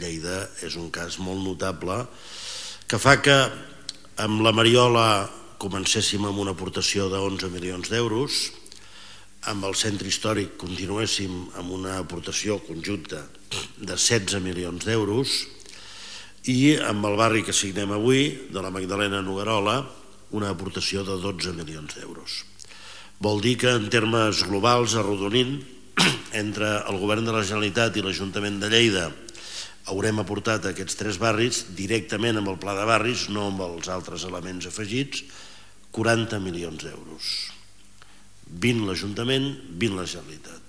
Lleida és un cas molt notable que fa que amb la Mariola comencéssim amb una aportació d'11 milions d'euros, amb el centre històric continuéssim amb una aportació conjunta de 16 milions d'euros i amb el barri que signem avui, de la Magdalena Noguerola, una aportació de 12 milions d'euros. Vol dir que en termes globals, arrodonint, entre el govern de la Generalitat i l'Ajuntament de Lleida haurem aportat a aquests 3 barris directament amb el pla de barris, no amb els altres elements afegits, 40 milions d'euros. 20 l'Ajuntament, 20 la Generalitat.